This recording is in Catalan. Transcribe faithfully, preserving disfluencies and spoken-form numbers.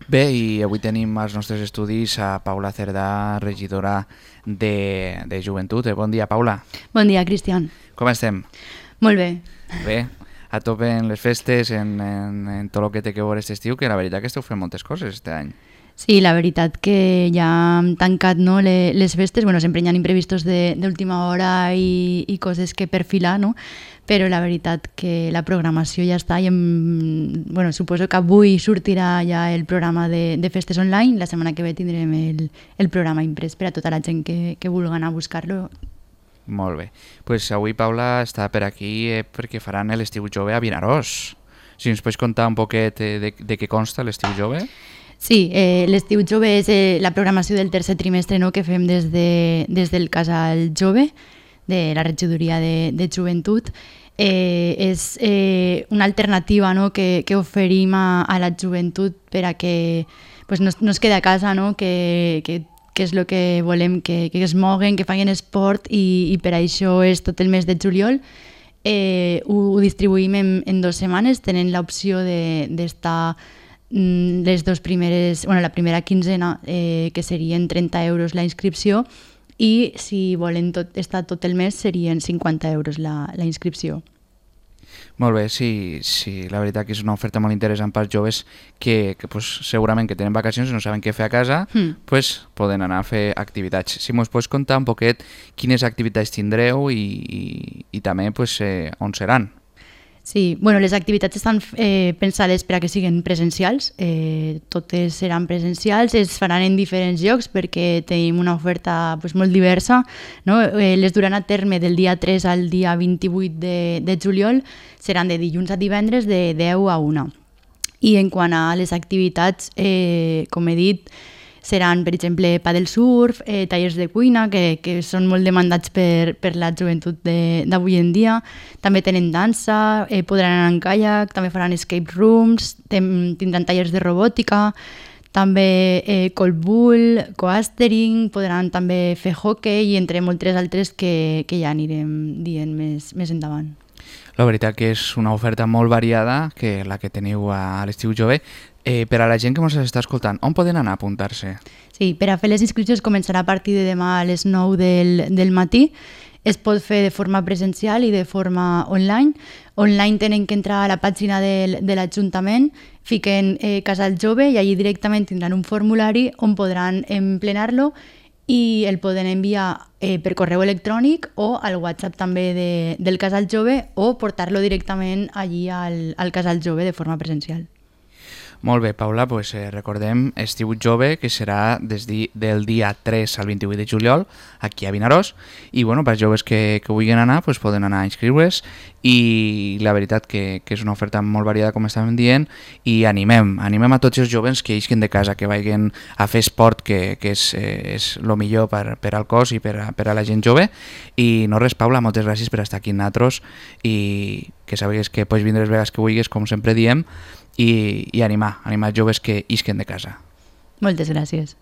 Bé, i avui tenim als nostres estudis a Paula Cerdà, regidora de, de Joventut. Eh, bon dia, Paula. Bon dia, Cristian. Com estem? Molt bé. Bé, a tope en les festes, en, en, en tot el que té que veure aquest estiu, que la veritat que esteu fent moltes coses este any. Sí, la veritat que ja hem tancat, no, le- les festes, bueno, sempre hi ha imprevistos de- d'última hora i, i coses que perfilar, no? Però la veritat que la programació ja està i em, bueno, suposo que avui sortirà ja el programa de, de festes online, la setmana que ve tindrem el, el programa imprès per a tota la gent que, que vulgui anar a buscar-lo. Molt bé. Pues avui Paula està per aquí eh, perquè faran l'estiu jove a Vinaròs. Si ens pots contar un poquet eh, de, de què consta l'estiu jove? Sí, eh, l'estiu jove és eh, la programació del tercer trimestre, no?, que fem des, de, des del Casal Jove, de la regidoria de, de joventut. Eh, és eh, una alternativa, no?, que, que oferim a, a la joventut per a que pues, no, es- no es quede a casa, no?, que, que, que és el que volem, que, que es moguen, que facin esport i, i per això és tot el mes de juliol. Eh, ho, ho distribuïm en, en dues setmanes, tenen l'opció de- d'estar mm, les dos primeres, bueno, la primera quinzena, eh, que serien trenta euros la inscripció, i si volen tot, estar tot el mes serien cinquanta euros la, la inscripció. Molt bé, sí, sí, la veritat que és una oferta molt interessant pels joves que, que pues, segurament que tenen vacacions i no saben què fer a casa, Mm. pues, poden anar a fer activitats. Si mos pots contar un poquet quines activitats tindreu i, i, i també pues, eh, on seran. Sí, bueno, les activitats estan eh, pensades per a que siguin presencials, eh, totes seran presencials, es faran en diferents llocs perquè tenim una oferta pues, molt diversa, no? Eh, les duran a terme del dia tres al dia vint-i-vuit de, de juliol, seran de dilluns a divendres de deu a una. I en quant a les activitats, eh, com he dit, seran, per exemple, paddle surf, eh, tallers de cuina, que, que són molt demandats per, per la joventut de- d'avui en dia. També tenen dansa, eh, podran anar en kayak, també faran escape rooms, ten, tindran tallers de robòtica, també eh, cold bull, coastering, podran també fer hockey i entre moltes altres que, que ja anirem dient més, més endavant. La veritat que és una oferta molt variada, que la que teniu a l'estiu jove. Eh, per a la gent que ens està escoltant, on poden anar a apuntar-se? Sí, per a fer les inscripcions començarà a partir de demà a les nou del, del matí. Es pot fer de forma presencial i de forma online. Online tenen que entrar a la pàgina del, de l'Ajuntament, fiquen eh, Casal Jove i allí directament tindran un formulari on podran emplenar-lo i el poden enviar eh, per correu electrònic o al WhatsApp també de, del Casal Jove o portar-lo directament allí al, al Casal Jove de forma presencial. Molt bé, Paula, pues, eh, recordem Estiu Jove, que serà des di, del dia tres al vint-i-vuit de juliol, aquí a Vinaròs, i bueno, per joves que, que vulguin anar, pues, poden anar a inscriure's, i la veritat que, que és una oferta molt variada, com estàvem dient, i animem, animem a tots els joves que isquen de casa, que vagin a fer esport, que, que és, eh, és el millor per, per al cos i per a, per a la gent jove, i no res, Paula, moltes gràcies per estar aquí amb nosaltres, i que sabegues que pots vindre les vegades que vulguis, com sempre diem, i, i animar, animar joves que isquen de casa. Moltes gràcies.